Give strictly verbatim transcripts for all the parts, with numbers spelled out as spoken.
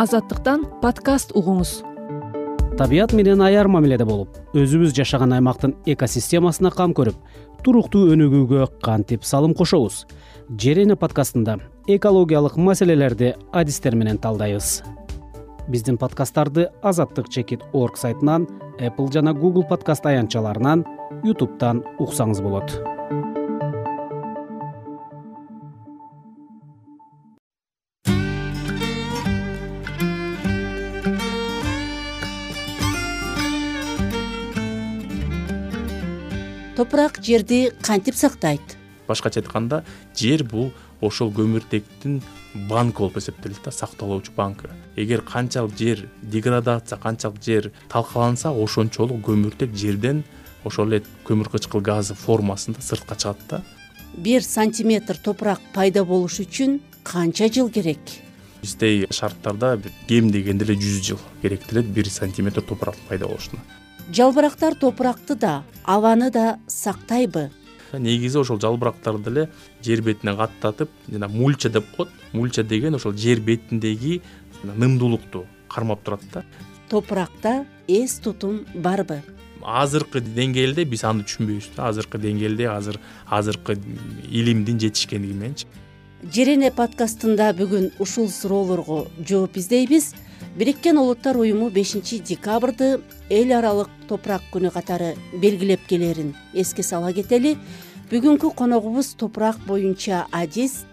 Азаттыктан подкаст угуңуз. Табият менен аяр мамиледе болуп, өзүбүз жашаган аймактын экосистемасына кам көрүп, туруктуу өнүгүүгө кантип салым кошобуз? Жерене подкастында экологиялык маселелерди адистер менен талдайбыз. Биздин подкасттарды азаттык чекит орг сайтынан, Apple жана Google подкаст аянтчаларынан, YouTube'дан уксаңыз болот. Топурак жерди кантип сактайт? Башкача айтканда, жер бул ошол көмүртектин банкы болуп эсептелет да, сакталуучу банкы. Эгер канчалык жер деградация, канчалык жер талкаланса, ошончолук көмүртек жерден ошол эле көмүр кычкыл газы формасында сыртка чыгат да. Бир сантиметр топурак пайда болуш үчүн канча жыл керек? Биздей шарттарда кем дегенде эле жүз жыл керектелет бир сантиметр топурак пайда болушуна. Жалбырактар топуракты да, абаны да сактайбы? Негизи ошол жалбырактарды эле жер бетине каттатып, жана мульча деп коет. Мульча деген ошол жер бетиндеги нымдуулукту кармап турат да. Топуракта эс тутум барбы? Азыркы деңгээлде биз аны түшүнбөйбүз да. Азыркы деңгээлде азыр азыркы илимдин жетишкендиги мененчи. Жерене подкастында бүгүн ушул суроолорго жооп издейбиз. Бириккен Улуттар уюму бешинчи декабрды эл аралык топурак күнү катары белгилеп келерин эске сала кетели. Бүгүнкү коногубуз топурак боюнча адист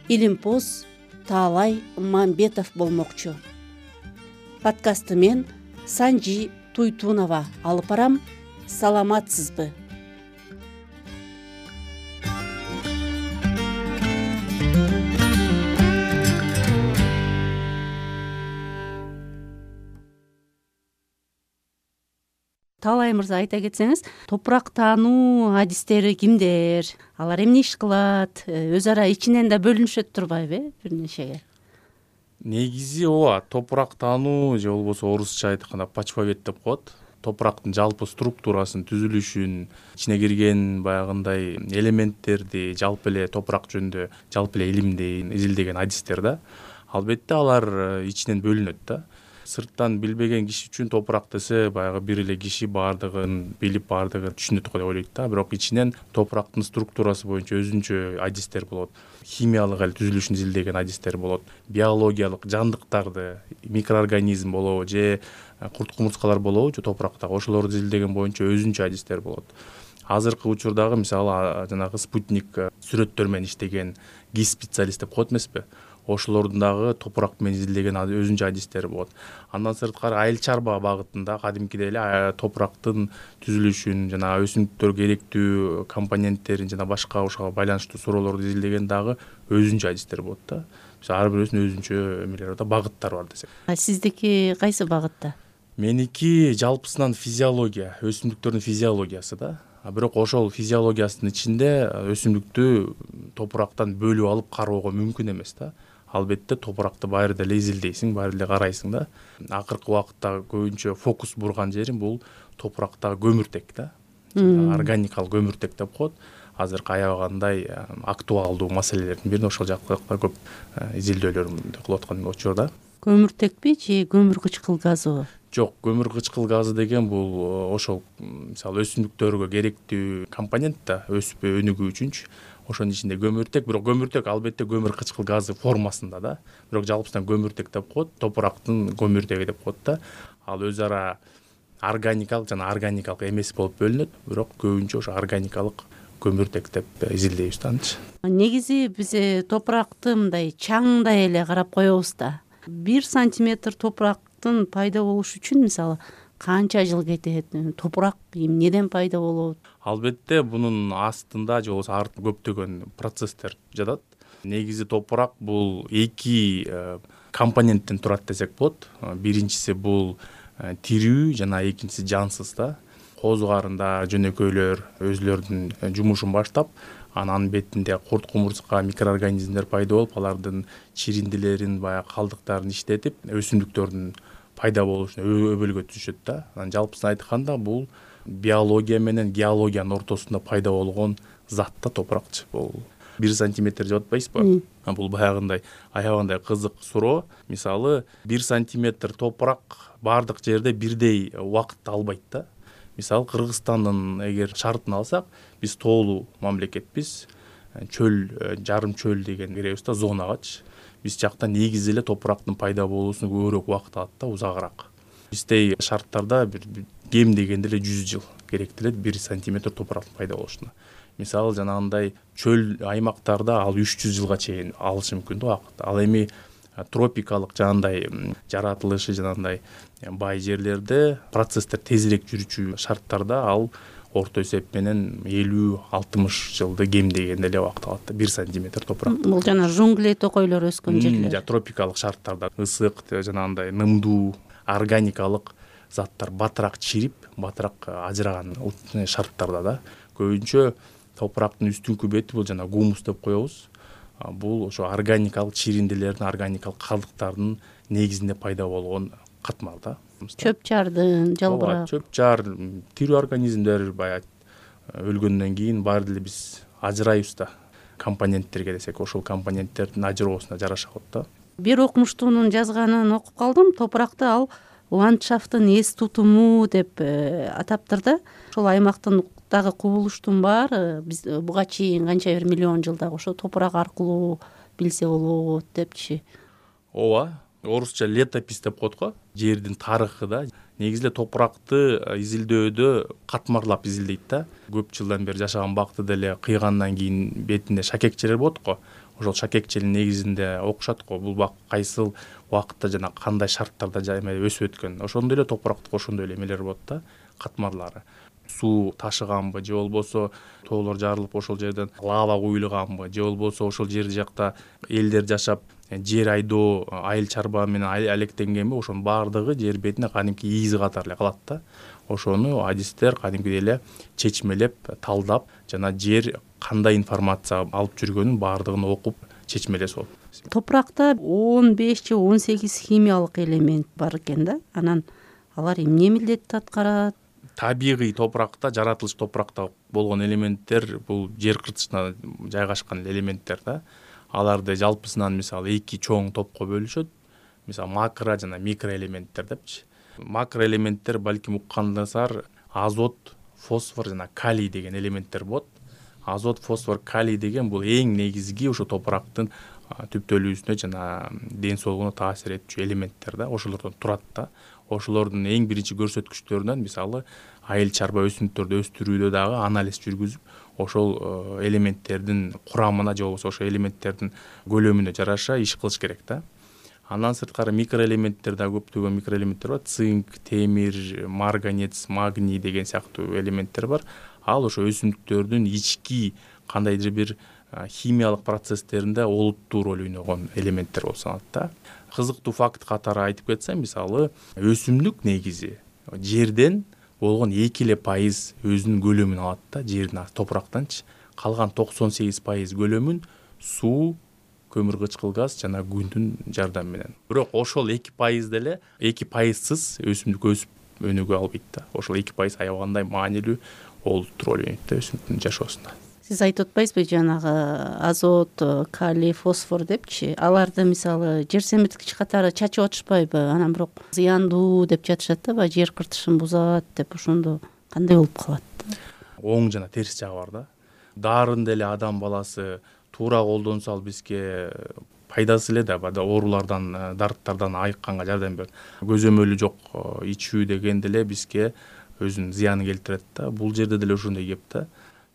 Илимпоз Таалай Мамбетов болмокчу. Подкастты мен Санжи Туйтунова алып барам. Саламатсызбы? Таалай мырза, айта кетсеңиз, топурак таануу адистери кимдер? Алар эмне иш кылат? Өз ара ичинен да бөлүнүшөт турбайбы бир нечеге? Негизи ооба, топурак таануу же болбосо орусча айтканда почвовед деп коет. Топурактын жалпы структурасын, түзүлүшүн, ичине кирген баягындай элементтерди, жалпы эле топурак жөнүндө жалпы эле илимди изилдеген адистер да. Албетте алар ичинен бөлүнөт да. Сырттан билбеген киши үчүн топурак десе баягы бир эле киши баардыгын билип, баардыгын түшүнөт го деп ойлойт да. Бирок ичинен топурактын структурасы боюнча өзүнчө адистер болот. Химиялык эле түзүлүшүн изилдеген адистер болот. Биологиялык жандыктарды, микроорганизм болобу же курт кумурскалар болобу же топурактагы ошолорду изилдеген боюнча өзүнчө адистер болот. Азыркы учурдагы мисалы жанагы спутник сүрөттөр менен иштеген гис специалист деп коет эмеспи? Ошолордун дагы топурак менен изилдеген өзүнчө адистери болот. Андан сырткары айыл чарба багытында кадимкидей эле топурактын түзүлүшүн жана өсүмдүктөргө керектүү компоненттерин жана башка ошого байланыштуу суроолорду изилдеген дагы өзүнчө адистер болот да. Ар бирөөсүнүн өзүнчө эмелери бар да, багыттары бар десек. А сиздики кайсы багытта? Меники жалпысынан физиология, өсүмдүктөрдүн физиологиясы да. А бирок ошол физиологиясынын ичинде өсүмдүктү топурактан бөлүп алып кароого мүмкүн эмес да. Албетте топуракты баары деле изилдейсиң, баары деле карайсың да. Акыркы убакытта көбүнчө фокус бурган жерим бул топурактагы көмүртек да. Органикалык көмүртек деп коет. Азыркы аябагандай актуалдуу маселелердин бири ошол жакта көп изилдөөлөрдү кылып аткан учурда. Көмүртекпи же көмүр кычкыл газыбы? Жок, көмүр кычкыл газы деген бул ошол мисалы өсүмдүктөргө керектүү компонент да, өсүп өнүгүү үчүнчү. Ошонун ичинде көмүртек, бирок көмүртек албетте көмүр кычкыл газы формасында да. Бирок жалпысынан көмүртек деп коет, топурактын көмүртеги деп коет да. Ал өз ара органикалык жана органикалык эмес болуп бөлүнөт, бирок көбүнчө ошо органикалык көмүртек деп изилдейбиз да анчы. Негизи биз топуракты мындай чаңдай эле карап коебуз да. Бир сантиметр топурактын пайда болуш үчүн мисалы канча жыл кетет? Топурак эмнеден пайда болот? Албетте бунун астында же болбосо артында көптөгөн процесстер жатат. Негизи топурак бул эки компоненттен турат десек болот. Биринчиси бул тирүү жана экинчиси жансыз да. Козугарында жөнөкөйлөр өзүлөрүнүн жумушун баштап, анан бетинде курт кумурска микроорганизмдер пайда болуп, алардын чириндилерин, баягы калдыктарын иштетип, өсүмдүктөрдүн пайда болушуна өбөлгө түшөт да. Анан жалпысын айтканда бул биология менен геологиянын ортосунда пайда болгон зат да топуракчы. Бул бир сантиметр деп атпайсызбы? Бул баягындай аябагандай кызык суроо. Мисалы бир сантиметр топурак баардык жерде бирдей убакытты албайт да. Мисалы Кыргызстандын эгер шартын алсак, биз тоолуу мамлекетпиз. Чөл, жарым чөл деген киребиз да зонагачы. Биз жакта негизи эле топурактын пайда болуусуна көбүрөөк убакыт алат да, узагыраак. Биздей шарттарда бир кем дегенде эле жүз жыл керектелет бир сантиметр топурактын пайда болушуна. Мисалы жанагындай чөл аймактарда ал үч жүз жылга чейин алышы мүмкүн да убакыт. Ал эми тропикалык жанагындай жаратылышы жанагындай бай жерлерде процесстер тезирээк жүрүүчү шарттарда ал орто эсеп менен элүү алтымыш жылды кем дегенде эле убакыт алат. бир сантиметр топурак. Бул жана жунгли токойлор өскөн жерлер. Жана тропикалык шарттарда ысык, жанагындай нымдуу, органикалык заттар батыраак чирип, батыраак ажыраган шарттарда да. Көбүнчө топурактын үстүнкү бети бул жана гумус деп коебуз. Бул ошо органикалык чиринделердин, органикалык калдыктардын негизинде пайда болгон катмар да. Чөп жардын, жалбырак. Чөп жар, тирүү организмдер баягы өлгөндөн кийин баары деле биз ажырайбыз да. Компоненттерге десек, ошол компоненттердин ажыроосуна жараша болот да. Бир окумуштуунун жазганын окуп калдым. Топуракты ал ландшафттын эс тутуму деп атаптыр да. Ошол аймактын дагы кубулуштун баары биз буга чейин канча бир миллион жылдагы ошо топурак аркылуу билсе болот депчи. Ооба, орусча летопись деп коет го. Жердин тарыхы да. Негизи эле топуракты изилдөөдө катмарлап изилдейт да. Көп жылдан бери жашаган бакты деле кыйгандан кийин бетинде шакекчелер болот го. Ошол шакекчелин негизинде окушат го. Бул бак кайсыл убакытта жана кандай шарттарда өсүп өткөн. Ошондой эле топуракта ошондой эле эмелер болот да, катмарлары. Суу ташыганбы же болбосо тоолор жарылып ошол жерден лава куюлганбы же болбосо ошол жер жакта элдер жашап жер айдоо, айыл чарба менен алектенгенби, ошонун баардыгы жер бетине кадимки изи катары эле калат да. Ошону адистер кадимкидей эле чечмелеп, талдап жана жер кандай информация алып жүргөнүн баардыгын окуп чечмелесе болот. Топуракта он беш же он сегиз химиялык элемент бар экен да. Анан алар эмне милдетти аткарат? Табигый топуракта, жаратылыш топуракта болгон элементтер бул жер кыртышына жайгашкан элементтер да. Аларды жалпысынан мисалы эки чоң топко бөлүшөт. Мисалы макро жана микро элементтер депчи. Макро элементтер балким уккандасар азот, фосфор жана калий деген элементтер болот. Азот, фосфор, калий деген бул эң негизги ошо топурактын түптөлүүсүнө жана ден соолугуна таасир этчү элементтер да. Ошолордон турат да. Ошолордун эң биринчи көрсөткүчтөрүнөн мисалы айыл чарба өсүмдүктөрдү өстүрүүдө дагы анализ жүргүзүп, ошол элементтердин курамына же болбосо ошол элементтердин көлөмүнө жараша иш кылыш керек да. Андан сырткары микроэлементтер да көптөгөн микроэлементтер бар. Цинк, темир, марганец, магний деген сыяктуу элементтер бар. Ал ошо өсүмдүктөрдүн ички кандайдыр бир химиялык процесстеринде олуттуу роль ойногон элементтер болуп саналат да. Кызыктуу факт катары айтып кетсем, мисалы өсүмдүк негизи жерден болгон эки эле пайыз өзүнүн көлөмүн алат да, жердин топурактанчы. Калган токсон сегиз пайыз көлөмүн суу, көмүр кычкыл газ жана күндүн жардамы менен. Бирок ошол эки пайыз деле эки пайызсыз өсүмдүк өсүп өнүгө албайт да. Ошол эки пайыз аябагандай маанилүү олуттуу роль ойнойт да өсүмдүктүн жашоосунда. Сиз айтып атпайсызбы жанагы азот, калий, фосфор депчи? Аларды мисалы жер семирткич катары чачып атышпайбы? Анан бирок зыяндуу деп жатышат да, баягы жер кыртышын бузат деп. Ошондо кандай болуп калат? Оң жана терс жагы бар да. Дарын деле адам баласы туура колдонсо ал бизге пайдасы эле да, оорулардан, дарттардан айыкканга жардам берет. Көзөмөлү жок ичүү деген деле бизге өзүнүн зыянын келтирет да. Бул жерде деле ошондой кеп да.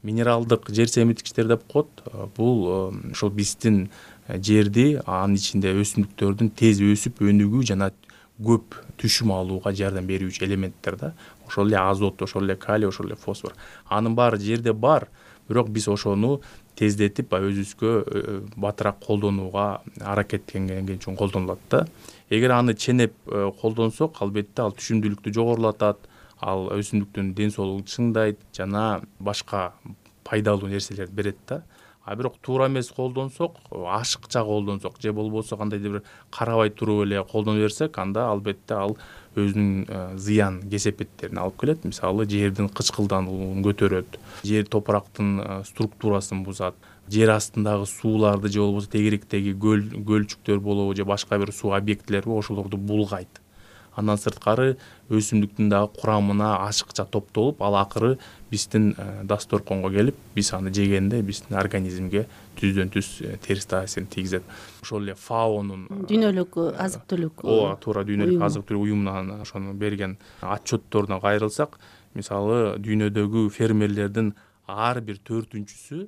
Минералдык жер семирткичтер деп коет. Бул ошол биздин жерди, анын ичинде өсүмдүктөрдүн тез өсүп өнүгүү жана көп түшүм алууга жардам берүүчү элементтер да. Ошол эле азот, ошол эле калий, ошол эле фосфор. Анын баары жерде бар, бирок биз ошону тездетип өзүбүзгө батыраак колдонууга аракеттенген үчүн колдонулат да. Эгер аны ченеп колдонсок, албетте ал түшүмдүүлүктү жогорулатат, ал өсүмдүктүн ден соолугун чыңдайт жана башка пайдалуу нерселерди берет да. А бирок туура эмес колдонсок, ашыкча колдонсок же болбосо кандайдыр бир карабай туруп эле колдоно берсек, анда албетте ал өзүнүн зыян кесепеттерин алып келет. Мисалы жердин кычкылдануун көтөрөт, жер топурактын структурасын бузат, жер астындагы сууларды же болбосо тегеректеги көл көлчүктөр болобу же башка бир суу объектилерби ошолорду булгайт. Андан сырткары өсүмдүктүн дагы курамына ашыкча топтолуп, ал акыры биздин дасторконго келип, биз аны жегенде биздин организмге түздөн түз терс таасирин тийгизет. Ошол эле фаонун дүйнөлүк азык түлүк ооба туура дүйнөлүк азык түлүк уюмунан ошону берген отчетторуна кайрылсак, мисалы дүйнөдөгү фермерлердин ар бир төртүнчүсү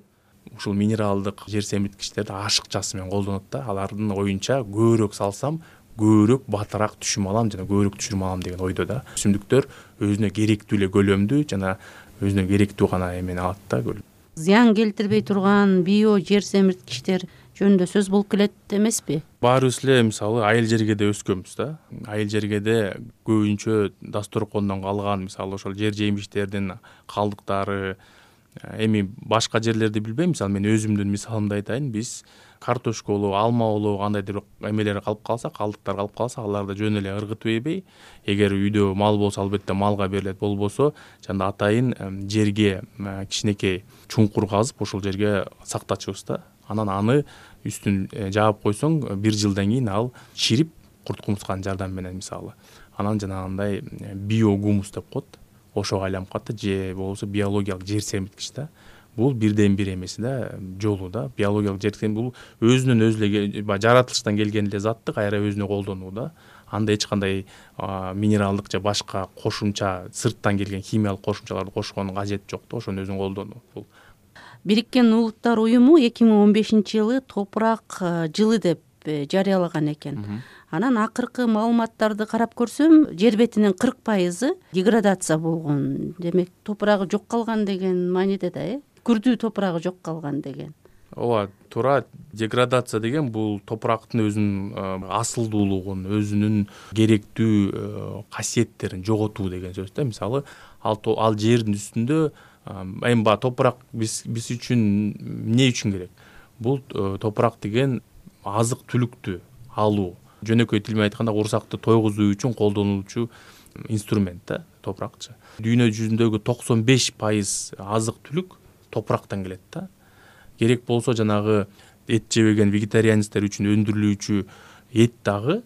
ушул минералдык жер семирткичтерди ашыкчасы менен колдонот да. Алардын оюнча көбүрөөк салсам көбүрөөк батыраак түшүм алам жана көбүрөөк түшүрүм алам деген ойдо да. Өсүмдүктөр өзүнө керектүү эле көлөмдү жана өзүнө керектүү гана эмени алат да. Зыян келтирбей турган био жер семирткичтер жөнүндө сөз болуп келет эмеспи? Баарыбыз эле мисалы айыл жергеде өскөнбүз да. Айыл жергеде көбүнчө дасторкондон калган мисалы ошол жер жемиштердин калдыктары, эми башка жерлерди билбейм, мисалы мен өзүмдүн мисалымды айтайын. Биз картошка болобу, алма болобу, кандайдыр эмелер калып калса, калдыктар калып калса, аларды жөн эле ыргытып ийбей, эгер үйдө мал болсо албетте малга берилет, болбосо жана атайын жерге кичинекей чуңкур казып, ошол жерге сактачубуз да. Анан аны үстүн жаап койсоң, бир жылдан кийин ал чирип, курт кумурсканын жардамы менен мисалы. Анан жанагындай биогумус деп коет. Ошого айланып калат да, же болбосо биологиялык жер семирткич да. Бул бирден бир эмеси да, жолу да. Биологиялык жер семирткич бул өзүнөн өзү эле жаратылыштан келген эле затты кайра өзүнө колдонуу да. Анда эч кандай минералдык же башка кошумча сырттан келген химиялык кошумчаларды кошкондун кажети жок да, ошону өзүнө колдонуу. Бул Бириккен Улуттар уюму эки миң он бешинчи жылы топурак жылы деп жарыялаган экен. Анан акыркы маалыматтарды карап көрсөм, жер бетинин кырк пайызы деградация болгон. Демек, топурагы жок калган деген мааниде да, э? Күрдүү топурагы жок калган деген. Ооба, туура. Деградация деген бул топурактын өзүнүн асылдуулугун, өзүнүн керектүү касиеттерин жоготуу деген сөз да. Мисалы, ал ал жердин үстүндө эми ба топурак биз биз үчүн эмне үчүн керек? Бул топурак деген азык түлүктү алуу. Жөнөкөй тил менен айтканда, курсакты тойгузуу үчүн колдонулчу инструмент да топуракчы. Дүйнө жүзүндөгү токсон беш пайыз азык түлүк топурактан келет да. Керек болсо жанагы эт жебеген вегетарианецтер үчүн өндүрүлүүчү эт дагы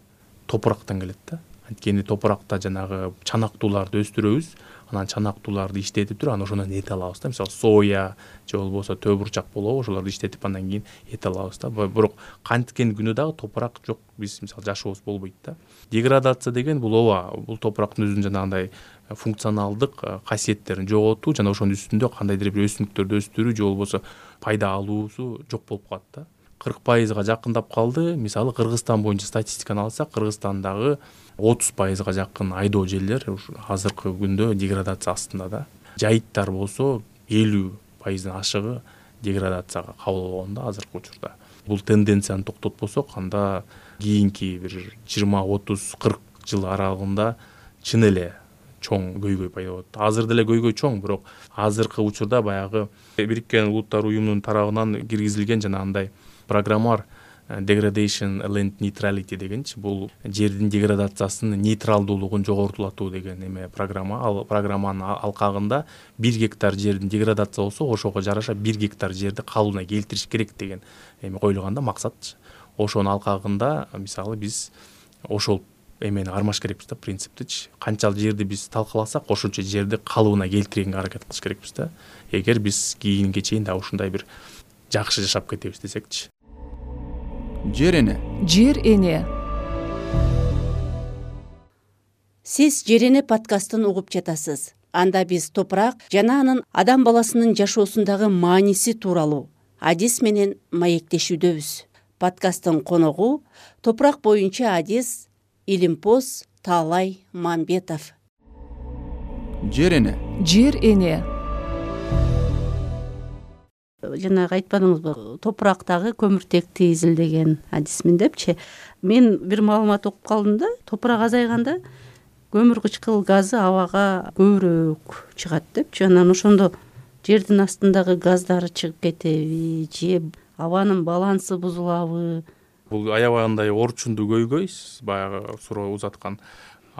топурактан келет да. Анткени топуракта жанагы чанактууларды өстүрөбүз, анан чанактууларды иштетип туруп, анан ошондон эт алабыз да. Мисалы, соя же болбосо төө бурчак болобу, ошолорду иштетип андан кийин эт алабыз да. Бирок канткен күнү дагы топурак жок, биз мисалы жашообуз болбойт да. Деградация деген бул ооба, бул топурактын өзүнүн жанагындай функционалдык касиеттерин жоготуу жана ошонун үстүндө кандайдыр бир өсүмдүктөрдү өстүрүү же болбосо пайда алуусу жок болуп калат да. кырк пайызга жакындап калды. Мисалы, Кыргызстан боюнча статистиканы алсак, Кыргызстандагы отуз пайызга жакын айдоо жерлер азыркы күндө деградация астында да. Жайыттар болсо элүү пайыздын ашыгы деградацияга кабыл болгон да азыркы учурда. Бул тенденцияны токтотпосок, анда кийинки бир жыйырма, отуз, кырк жыл аралыгында чын эле чоң көйгөй пайда болот. Азыр деле көйгөй чоң, бирок азыркы учурда баягы Бириккен Улуттар уюмунун тарабынан киргизилген жанагындай программа бар, Degradation Land Neutrality дегенчи, бул жердин деградациясынын нейтралдуулугун жогортулатуу деген эме программа. Ал программанын алкагында бир гектар жердин деградация болсо, ошого жараша бир гектар жерди калыбына келтириш керек деген эме коюлган да, максат. Ошонун алкагында мисалы биз ошол эмени кармаш керекпиз да, принциптичи. Канчалык жерди биз талкаласак, ошончо жерди калыбына келтиргенге аракет кылыш керекпиз да. Эгер биз кийинге чейин да ушундай бир жакшы жашап кетебиз десекчи. Жер эне. Жер эне. Сиз Жер эне подкастын угуп жатасыз. Анда биз топурак жана анын адам баласынын жашоосундагы мааниси тууралуу адис менен маектешүүдөбүз. Подкасттын коногу топурак боюнча адис Илимпоз Таалай Мамбетов. Жер эне. Жер эне. Жанагы айтпадыңызбы, топурактагы көмүртекти изилдеген адисмин депчи. Мен бир маалымат окуп калдым да, топурак азайганда көмүр кычкыл газы абага көбүрөөк чыгат депчи. Анан ошондо жердин астындагы газдары чыгып кетеби же абанын балансы бузулабы? Бул аябагандай орчундуу көйгөй, баягы суроо узаткан.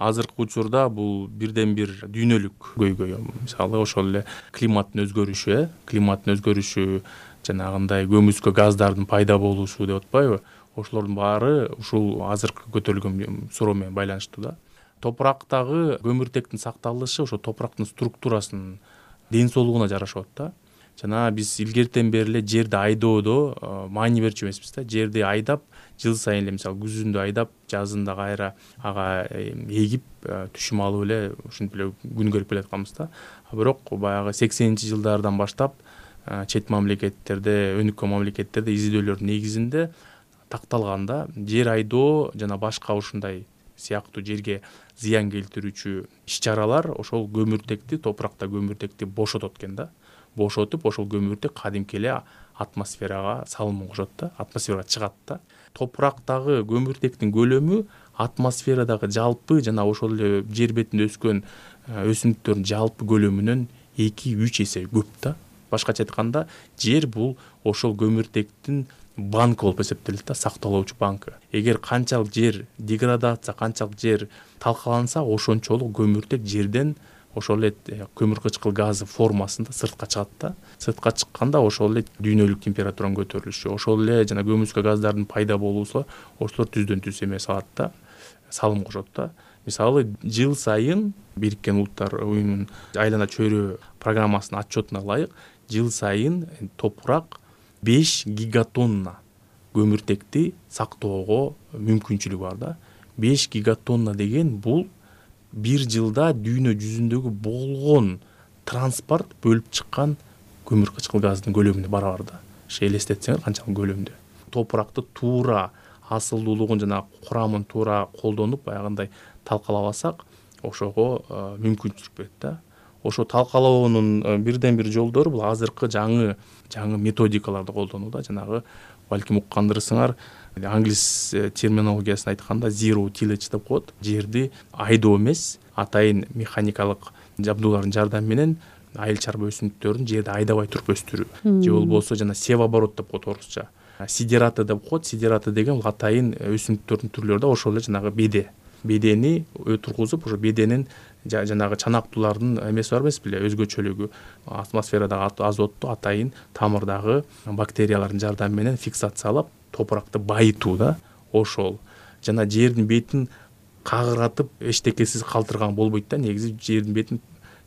Азыркы учурда бул бирден бир дүйнөлүк көйгөй. Мисалы, ошол эле климаттын өзгөрүшү, климаттын өзгөрүшү жанагындай көмүскө газдардын пайда болушу деп атпайбы, ошолордун баары ушул азыркы көтөрүлгөн суроо менен байланыштуу да. Топурактагы көмүртектин сакталышы ошо топурактын структурасынын ден соолугуна жараша болот да. Жана биз илгертен бери эле жерди айдоодо маани берчү эмеспиз да. Жерди айдап, жыл сайын эле мисалы күзүндө айдап, жазында кайра ага эгип, түшүм алып эле ушинтип эле күн көрүп келатканбыз да. Бирок баягы сексенинчи жылдардан баштап чет мамлекеттерде, өнүккөн мамлекеттерде изилдөөлөрдүн негизинде такталганда жер айдоо жана башка ушундай сыяктуу жерге зыян келтирүүчү иш-чаралар ошол көмүртекти, топуракта көмүртекти бошотот экен да. Бошотуп, ошол көмүртек кадимки эле атмосферага салымын кошот да, атмосферага чыгат да. Топурактагы көмүртектин көлөмү атмосферадагы жалпы жана ошол эле жер бетинде өскөн өсүмдүктөрдүн жалпы көлөмүнөн эки үч эсе көп да. Башкача айтканда, жер бул ошол көмүртектин банкы болуп эсептелет да, сакталуучу банкы. Эгер канчалык жер деградация, канчалык жер талкаланса, ошончолук көмүртек жерден ошол эле көмүр кычкыл газы формасында сыртка чыгат да. Сыртка чыкканда ошол эле дүйнөлүк температуранын көтөрүлүшү, ошол эле жана көмүскө газдардын пайда болуусу ошолор түздөн түз эме салат да, салым кошот да. Мисалы, жыл сайын Бириккен Улуттар уюмунун айлана чөйрө программасынын отчетуна ылайык, жыл сайын топурак беш гигатонна көмүртекти сактоого мүмкүнчүлүгү бар да. беш гигатонна деген бул бир жылда дүйнө жүзүндөгү болгон транспорт бөлүп чыккан көмүр кычкыл газдын көлөмүнө барабар да. Ошо элестетсеңер канчалык көлөмдө. Топуракты туура асылдуулугун жана курамын туура колдонуп, баягындай талкалабасак, ошого мүмкүнчүлүк берет да. Ошо талкалоонун бирден бир жолдору бул азыркы жаңы жаңы методикаларды колдонуу да. Жанагы балким уккандырсыңар, англис терминологиясын айтканда zero tillage деп коет. Жерди айдоо эмес, атайын механикалык жабдуулардын жардамы менен айыл чарба өсүмдүктөрүн жерди айдабай туруп өстүрүү. Же болбосо жана севооборот деп коет орусча. Сидераты деп коет. Сидераты деген бул атайын өсүмдүктөрдүн түрлөрү да, ошол эле жанагы беде. Бедени тургузуп, ошо беденин жанагы чанактуулардын эмеси бар эмес беле, өзгөчөлүгү, атмосферадагы азотту атайын тамырдагы бактериялардын жардамы менен фиксациялап, топуракты байытуу да. Ошол жана жердин бетин кагыратып эчтекесиз калтырган болбойт да. Негизи жердин бетин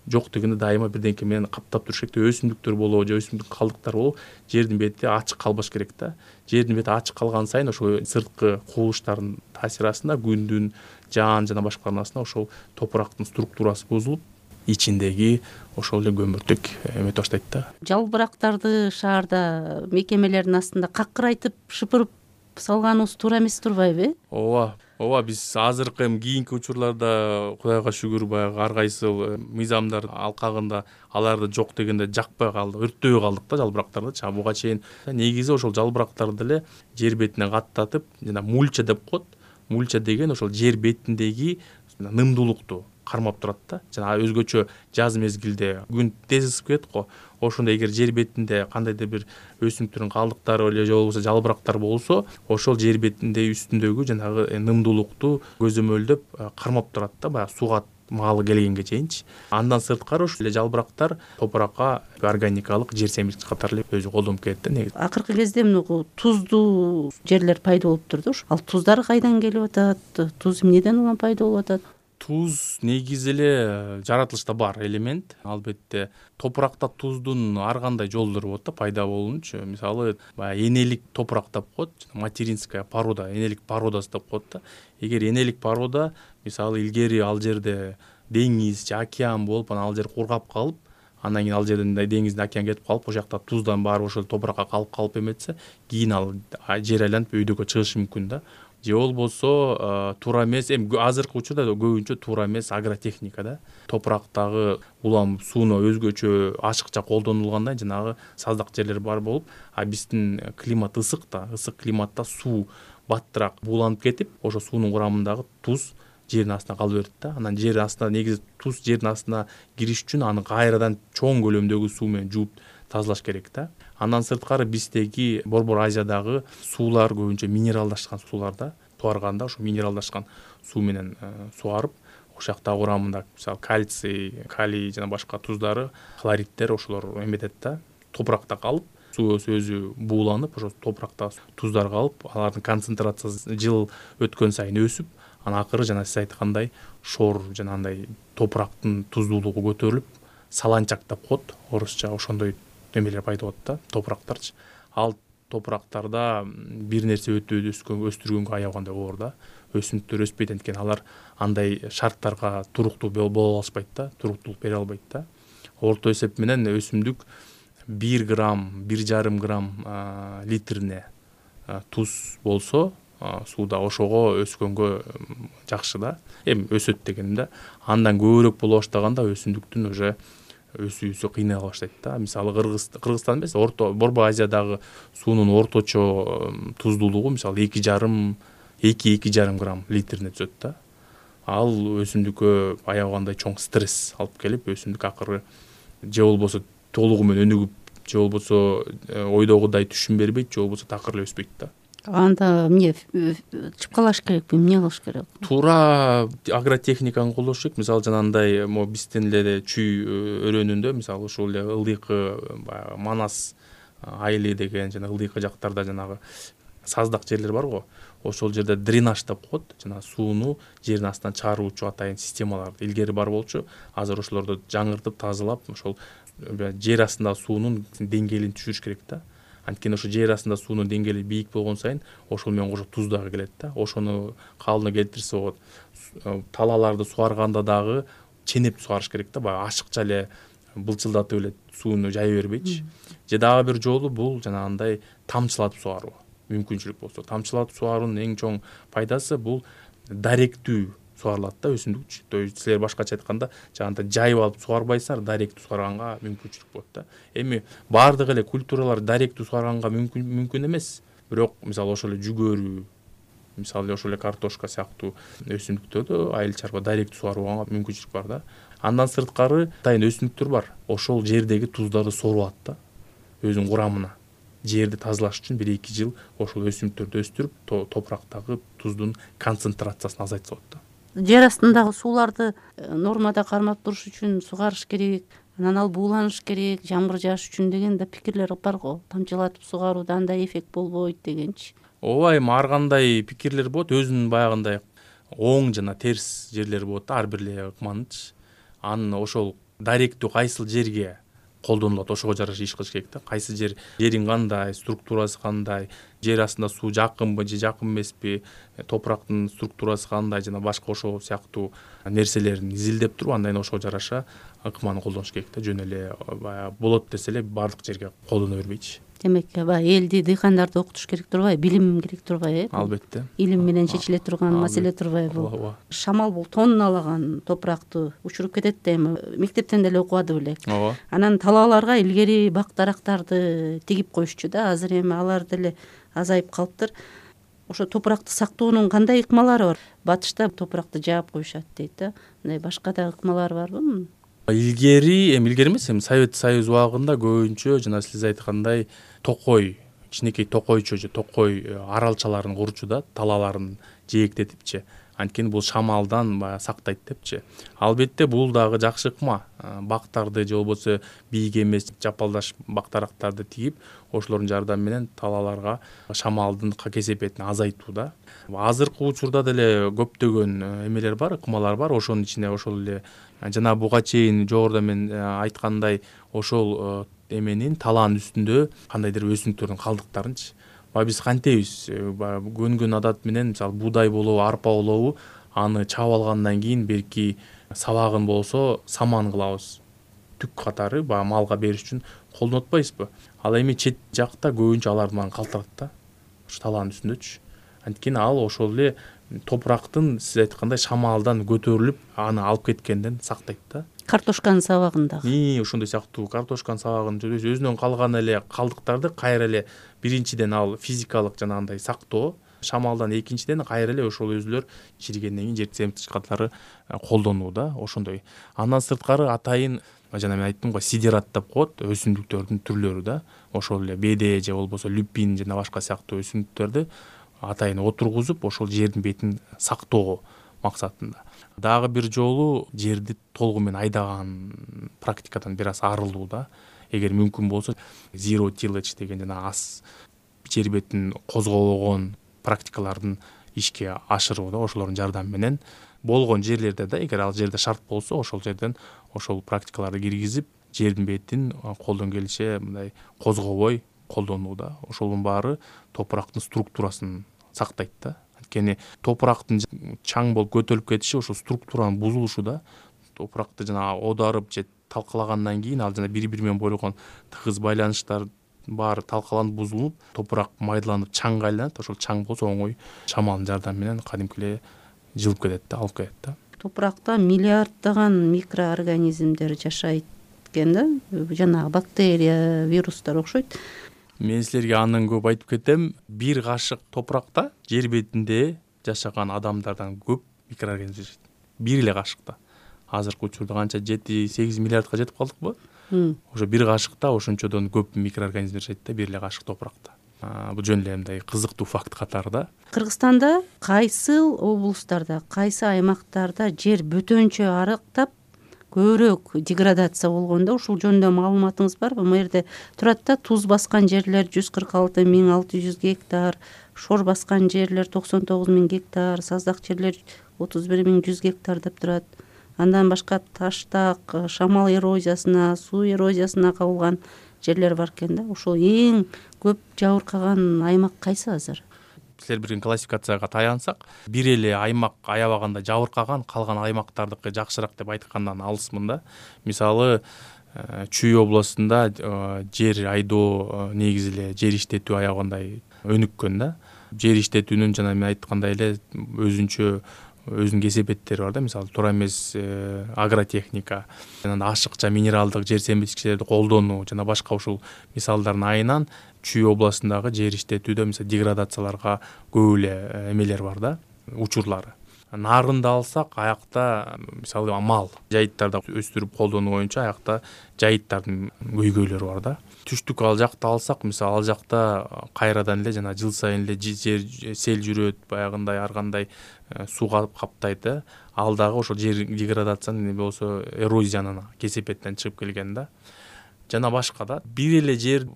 жок дегенде дайыма бирденке менен каптап туруш керек. Өсүмдүктөр болобу же өсүмдүк калдыктары болобу, жердин бети ачык калбаш керек да. Жердин бети ачык калган сайын ошо сырткы кубулуштардын таасири астында, күндүн, жаан жана башкалардын астында ошол топурактын структурасы бузулуп, ичиндеги ошол эле көмүртек эметип баштайт да. Жалбырактарды шаарда мекемелердин астында какырайтып шыпырып салганыбыз туура эмес турбайбы? Ооба, ооба, биз азыркы эми кийинки учурларда Кудайга шүгүр баягы ар кайсыл мыйзамдар алкагында аларды жок дегенде жакпай калдык, өрттөбөй калдык да жалбырактарды. Ча буга чейин негизи ошол жалбырактарды эле жер бетине каттатып, жана мульча деп коет. Мульча деген ошол жер бетиндеги нымдуулукту кармап турат да. Жана өзгөчө жаз мезгилде күн тез ысып кетет го. Ошондо эгер жер бетинде кандайдыр бир өсүмдүктөрдүн калдыктары эле же болбосо жалбырактар болсо, ошол жер бетинде үстүндөгү жанагы нымдуулукту көзөмөлдөп кармап турат да, баягы сууга маалы келгенге чейинчи. Андан сырткары ошол эле жалбырактар топуракка органикалык жер семирткич катары эле өзү колдонуп келет да негизи. Акыркы кезде мына туздуу жерлер пайда болуп турду. Ал туздар кайдан келип атат? Туз эмнеден улам пайда болуп атат? Туз негизи эле жаратылышта бар элемент. Албетте топуракта туздун ар кандай жолдору болот да пайда болуунчу. Мисалы, баягы энелик топурак деп коет, материнская порода, энелик породасы деп коет да. Эгер энелик порода, мисалы, илгери ал жерде деңиз же океан болуп, анан ал жер кургап калып, андан кийин ал жерден деңизден океан кетип калып, ошол жакта туздан баары ошол топуракка калып калып эметсе, кийин ал жер айланып өйдөгө чыгышы мүмкүн да. Же болбосо туура эмес, эми азыркы учурда көбүнчө туура эмес агротехника да. Топурактагы улам сууну өзгөчө ашыкча колдонулгандай жанагы саздак жерлер бар болуп, а биздин климат ысык да, ысык климатта суу баттыраак бууланып кетип, ошо суунун курамындагы туз жердин астына кала берет да. Анан жер астына негизи туз жердин астына кириш үчүн аны кайрадан чоң көлөмдөгү суу менен жууп тазалаш керек да. Андан сырткары биздеги Борбор Азиядагы суулар көбүнчө минералдашкан суулар да. Туарганда ошо минералдашкан суу менен суарып, ошол жакта курамында мисалы кальций, калий жана башка туздары, хлориддер ошолор эметет да. Топуракта калып, суусу өзү бууланып ошо топуракта туздар калып, алардын концентрациясы жыл өткөн сайын өсүп, анан акыры жана сиз айткандай шор жанагындай топурактын туздуулугу көтөрүлүп, саланчак деп коет орусча, ошондой немелер пайда болот да, топурактарчы. Ал топурактарда бир нерсе өтүп өскөн, өстүргөнгө аябагандай оор да. Өсүмдүктөр өспөйт, анткени алар андай шарттарга туруктуу боло алышпайт да, туруктуулук бере албайт да. Орто эсеп менен өсүмдүк бир грамм, бир жарым грамм литрине туз болсо сууда, ошого өскөнгө жакшы да. Эми өсөт дегеним да. Андан көбүрөөк боло баштаганда өсүмдүктүн уже өсүүсү кыйнала баштайт да. Мисалы Кыргызстан эмес, Орто Борбо Азиядагы суунун орточо туздуулугу мисалы эки жарым эки эки жарым грамм литрине түзөт да. Ал өсүмдүккө аябагандай чоң стресс алып келип, өсүмдүк акыры же болбосо толугу менен өнүгүп, же болбосо ойдогудай түшүм бербейт, же болбосо такыр эле өспөйт да. Анда эмне чыпкалаш керекпи, эмне кылыш керек? Туура агротехниканы колдош керек. Мисалы жанагындай могу биздин эле чүй өрөөнүндө, мисалы ушул эле ылдыйкы баягы Манас айылы деген жана ылдыйкы жактарда жанагы саздак жерлер бар го. Ошол жерде дренаж деп коет, жана сууну жердин астынан чыгаруучу атайын системалар илгери бар болчу. Азыр ошолорду жаңыртып, тазалап, ошол жер астындагы суунун деңгээлин түшүрүш керек да. Анткени ошо жер астында суунун деңгээли бийик болгон сайын ошол менен кошо туз дагы келет да. Ошону калыбына келтирсе болот. Талааларды суарганда дагы ченеп суарыш керек да, баягы ашыкча эле былчылдатып эле сууну жая бербейчи. Же дагы бир жолу бул жанагындай тамчылатып суаруу мүмкүнчүлүк болсо. Тамчылатып суаруунун эң чоң пайдасы бул даректүү суарылат да өсүмдүк. То есть силер башкача айтканда жанагындай жайып алып суарбайсыңар, даректүү суарганга мүмкүнчүлүк болот да. Эми баардык эле культуралар даректүү суарганга мүмкүн мүмкүн эмес. Бирок мисалы ошол эле жүгөрү, мисалы ошол эле картошка сыяктуу өсүмдүктөрдү айыл чарба даректүү суарганга мүмкүнчүлүк бар да. Андан сырткары атайын өсүмдүктөр бар. Ошол жердеги туздарды сору алат да өзүнүн курамына. Жерди тазалаш үчүн бир эки жыл ошол өсүмдүктөрдү өстүрүп, топурактагы туздун концентрациясын азайтса болот да. Жер астындагы сууларды нормада кармап туруш үчүн сугарыш керек, анан ал бууланыш керек, жамгыр жааш үчүн деген да пикирлер бар го. Тамчылатып сугарууда андай эффект болбойт дегенчи. Ооба, эми ар кандай пикирлер болот, өзүнүн баягындай оң жана терс жерлери болот да ар бир эле ыкманынчы. Анын ошол даректүү кайсыл жерге колдонулат, ошого жараша иш кылыш керек да. Кайсы жер, жерин кандай, структурасы кандай, жер астында суу жакынбы же жакын эмеспи, топурактын структурасы кандай жана башка ошол сыяктуу нерселерин изилдеп туруп, андан ошого жараша ыкманы колдонуш керек да. Жөн эле баягы болот десе эле баардык жерге колдоно бербейчи. Демек, баягы элди, дыйкандарды окутуш керек турбайбы, билим керек турбайбы, э? Албетте. Илим менен чечиле турган маселе турбайбы? Ооба. Шамал бул тонналаган топуракты учуруп кетет да, эми мектептен деле окубады белек. Ооба. Анан талааларга илгери бак дарактарды тигип коюшчу да, азыр эми алар деле азайып калыптыр. Ошо топуракты сактоонун кандай ыкмалары бар? Батышта топуракты жаап коюшат дейт да. Мындай башка да ыкмалары барбы? Илгери, эми илгери эмес, эми Совет Союз убагында көбүнчө жана сиз айткандай токой, кичинекей токойчо же токой аралчаларын курчу да, талааларын жээктетипчи. Анткени бул шамалдан баягы сактайт депчи. Албетте бул дагы жакшы ыкма. Бактарды же болбосо бийик эмес жапалдаш бактарактарды тигип, ошолордун жардамы менен талааларга шамалдын кесепетин азайтуу да. Азыркы учурда деле көптөгөн эмелер бар, ыкмалар бар. Ошонун ичине ошол эле жана буга чейин жогоруда мен айткандай ошол эменин талаанын үстүндө кандайдыр өсүмдүктөрдүн калдыктарынчы. Биз кантебиз, көнгөн адат менен мисалы буудай болобу, арпа болобу, аны чаап алгандан кийин берки сабагын болсо саман кылабыз. Түк катары баягы малга бериш үчүн колдонуп атпайбызбы? Ал эми чет жакта көбүнчө алар менен калтырат да. Ошо талаанын үстүндөчү. Анткени ал ошол эле топурактын сиз айткандай шамалдан көтөрүлүп, аны алып кеткенден сактайт да. Картошканын сабагындагы. Ии, ошондой сыяктуу картошканын сабагын өзүнөн калган эле калдыктарды кайра эле биринчиден ал физикалык жанагындай сактоо, шамалдан экинчиден кайра эле ошол өзүлөр чиригенден кийин жер семтичкатлары колдонуу да, ошондой. Андан сырткары атайын жана мен айттым го, сидерат деп коет, өсүмдүктөрдүн түрлөрү да. Ошол эле беде же болбосо люпин жана башка сыяктуу өсүмдүктөрдү атайын отургузуп, ошол жердин бетин сактоо максатында. Дагы бир жолу жерди толугу менен айдаган практикадан бир аз арылуу да. эгер мүмкүн болсо zero tillage деген жана аз жер бетин козгобогон практикалардын ишке ашыруууда ошолордун жардамы менен болгон жерлерде да эгер ал жерде шарт болсо ошол жерден ошол практикаларды киргизип жердин бетин колдон келиши мындай козгобой колдонууда. Ошонун баары топурактын структурасын сактайт да. Анткени топурактын чаң болуп көтөрүлүп кетиши ошол структуранын бузулушу да. Топуракты жана оодарып же талкалагандан кийин ал жана бири бири менен болгон тыгыз байланыштар баары талкаланып бузулуп топурак майдаланып чаңга айланат. Ошол чаң болсо оңой шамалдын жардамы менен кадимки эле жылып кетет да, алып кетет да. Топуракта миллиарддаган микроорганизмдер жашайт экен да, жанагы бактерия, вирустар окшойт. Мен силерге андан көп айтып кетем. Бир кашык топуракта жер бетинде жашаган адамдардан көп микроорганизм жашайт. Бир эле кашыкта. Азыркы учурда канча жети сегиз миллиардка жетип калдыкпы? Ошо бир кашыкта ошончодон көп микроорганизм жашайт да, бир эле кашык топуракта. Бул жөн эле мындай кызыктуу факт катары да. Кыргызстанда кайсыл облустарда, кайсы аймактарда жер бөтөнчө арыктап көбүрөөк деградация болгондо ушул жөнүндө маалыматыңыз барбы? Бул жерде турат да, туз баскан жерлер жүз кырк алты миң алты жүз гектар, шор баскан жерлер токсон тогуз миң гектар, саздак жерлер отуз бир миң жүз гектар деп турат. Андан башка таштак, шамал эрозиясына, суу эрозиясына кабылган жерлер бар экен да. Ошол эң көп жабыркаган аймак кайсы азыр? Силер бир классификацияга таянсак, бир эле аймак аябаганда жабыркаган, калган аймактардыкы жакшыраак деп айткандан алысмын да. Мисалы, Чүй областында жер айдоо негизи эле жер иштетүү аябагандай өнүккөн да. Жер иштетүүнүн жана мен айткандай эле өзүнчө өзүнүн кесепеттери бар да. Мисалы, туура эмес агротехника, жана ашыкча минералдык жер семирткичтерди колдонуу жана башка ушул мисалдардын айынан Чүй областындагы жер иштетүүдө мисалы деградацияларга көп эле эмелер бар да, учурлары. Нарында алсак, аякта мисалы мал жайыттарда өстүрүп колдонуу боюнча аякта жайыттардын көйгөйлөрү бар да. Түштүк ал жакта алсак, мисалы ал жакта кайрадан эле жана жыл сайын эле жер сел жүрөт, баягындай ар кандай суу каптайт да. Ал дагы ошол жер деградацияны не болсо эрозиянын кесепетинен чыгып келген да. Жана башка да. Бир эле жер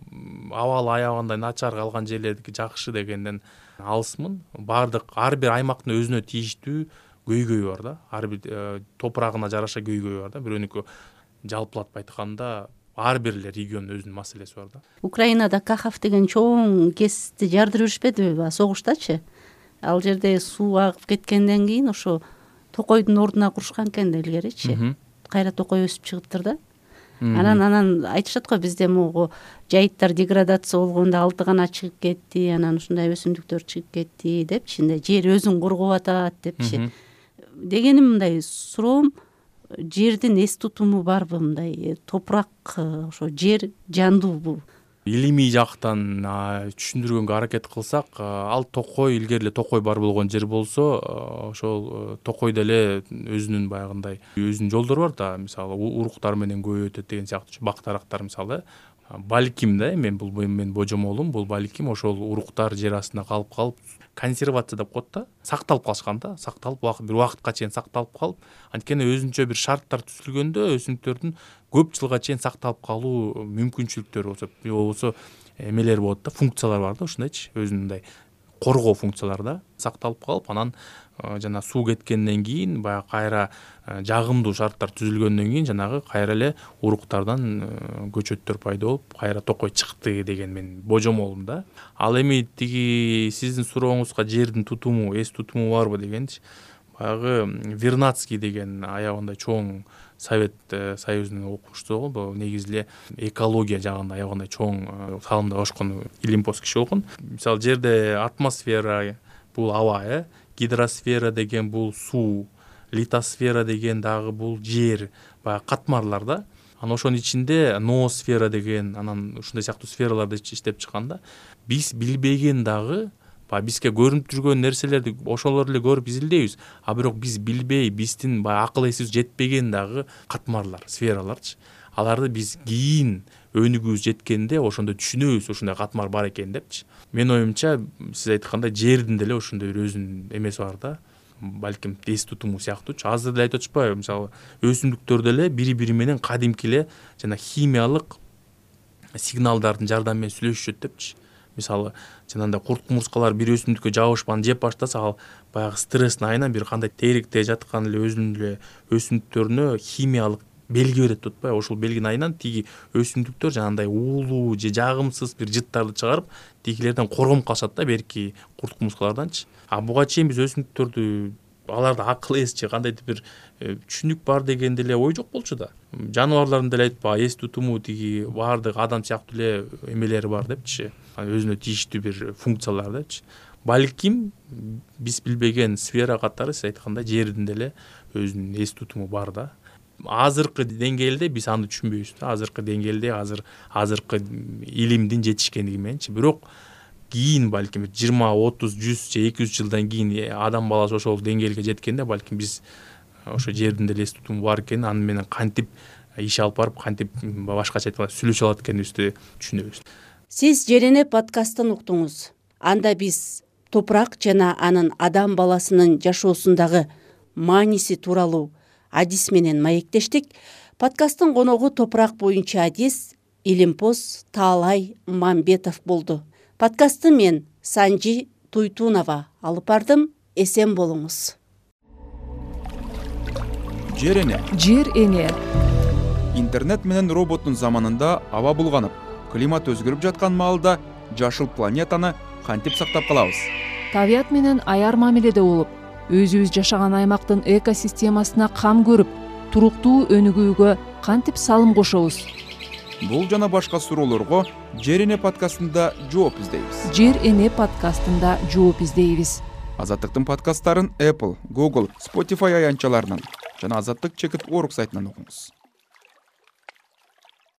абалы аябагандай начар калган жерлердики жакшы дегенден алысмын. Бардык ар бир аймактын өзүнө тийиштүү көйгөйү бар да. Ар бир топурагына жараша көйгөйү бар да. Бирөөнүкү жалпылатып айтканда ар бир эле региондун өзүнүн маселеси бар да. Украинада Кахов деген чоң кести жардырып жүрүшпөдүбү согуштачы? Ал жерде суу агып кеткенден кийин ошо токойдун ордуна курушкан экен да илгеричи. Кайра токой өсүп чыгыптыр да. Анан анан айтышат го, бизде могу жайыттар деградация болгондо алты гана чыгып кетти, анан ушундай өсүмдүктөр чыгып кетти депчи, мындай жер өзүн коргоп атат депчи. Дегеним мындай суроом, жердин эс тутуму барбы, мындай топурак ошо жер жандуубу? Илимий жактан түшүндүргөнгө аракет кылсак, ал токой илгери эле токой бар болгон жер болсо, ошол токойдо эле өзүнүн баягындай өзүнүн жолдору бар да. Мисалы, уруктар менен көбөй өтөт деген сыяктуу бактарактар мисалы. Балким да, мен бул мен божомолум, бул балким ошол уруктар жер астында калып калып, консервация деп коет да, сакталып калышкан да, сакталып бир убакытка чейин сакталып калып, анткени өзүнчө бир шарттар түзүлгөндө өсүмдүктөрдүн көп жылга чейин сакталып калуу мүмкүнчүлүктөрү болсо, болбосо эмелер болот да, функциялар бар да, ушундайчы, өзүнүн мындай коргоо функциялары да сакталып калып, анан жана суу кеткенден кийин баягы кайра жагымдуу шарттар түзүлгөндөн кийин жанагы кайра эле уруктардан көчөттөр пайда болуп, кайра токой чыкты деген мен божомолум да. Ал эми тиги сиздин сурооңузга жердин тутуму, эс тутуму барбы дегенчи, баягы Вернадский деген аябагандай чоң Совет Союзунун окумуштуу болгон, негизи эле экология жагында аябагандай чоң салымда башкан илимпоз киши болгон. Мисалы, жерде атмосфера бул аба, э, гидросфера деген бул суу, литосфера деген дагы бул жер, баягы катмарлар да. Анан ошонун ичинде ноосфера деген, анан ушундай сыяктуу сфераларды иштеп чыккан да. Биз билбеген дагы баягы бизге көрүнүп жүргөн нерселерди ошолор эле көрүп изилдейбиз, а бирок биз билбей, биздин баягы акыл эсибиз жетпеген дагы катмарлар, сфераларчы. Аларды биз кийин өнүгүүбүз жеткенде ошондо түшүнөбүз, ушундай катмар бар экен депчи. Мен оюмча, сиз айткандай жердин деле ошондой бир өзүнүн эмеси бар да. Балким эс тутуму сыяктуучу. Азыр деле айтып атышпайбы, мисалы, өсүмдүктөр деле бири-бири менен кадимки эле жана химиялык сигналдардын жардамы менен сүйлөшүшөт депчи. Мисалы жанагындай курт кумурскалар бир өсүмдүккө жабышпан жеп баштаса, ал баягы стресстин айынан бир кандай теректе жаткан эле өзүнүн эле өсүмдүктөрүнө химиялык белги берет деп атпайбы. Ошол белгинин айынан тиги өсүмдүктөр жанагындай уулуу же жагымсыз бир жыттарды чыгарып, тигилерден коргонуп калышат да, берки курт кумурскаларданчы. А буга чейин биз өсүмдүктөрдү, аларда акыл эс же кандайдыр бир түшүнүк бар деген деле ой жок болчу да. Жаныбарлардын деле айтпа эс тутуму тиги баардык адам сыяктуу эле эмелери бар депчи. Өзүнө тийиштүү бир функциялар депчи. Балким биз билбеген сфера катары сиз айткандай жердин деле өзүнүн эс тутуму бар да. Азыркы деңгээлде биз аны түшүнбөйбүз да. Азыркы деңгээлде азыр азыркы илимдин жетишкендиги мененчи. Бирок кийин балким жыйырма, отуз, жүз же эки жүз жылдан кийин адам баласы ошол деңгээлге жеткенде балким биз ошо жердин деле эс тутуму бар экенин, аны менен кантип иш алып барып, кантип башкача айтканда сүйлөшө алат экенибизди түшүнөбүз. Сиз Жер эне подкастын уктуңуз. Анда биз топурак жана анын адам баласынын жашоосундагы мааниси тууралуу адис менен маектештик. Подкасттын коногу топурак боюнча адис Илимпоз Таалай Мамбетов болду. Подкастты мен Санжи Туйтунова алып бардым. Эсен болуңуз. Жер эне. Жер эне. Интернет менен роботтун заманында аба булганып, климат өзгөрүп жаткан маалда жашыл планетаны кантип сактап калабыз? Табият менен аяр мамиледе болуп, өзүбүз жашаган аймактын экосистемасына кам көрүп, туруктуу өнүгүүгө кантип салым кошобуз? Бул жана башка суроолорго Жер эне подкастында жооп издейбиз. Жер эне подкастында жооп издейбиз. Азаттыктын подкасттарын Apple, Google, Spotify аянтчаларынан жана Азаттык чекит орг сайтынан окуңуз.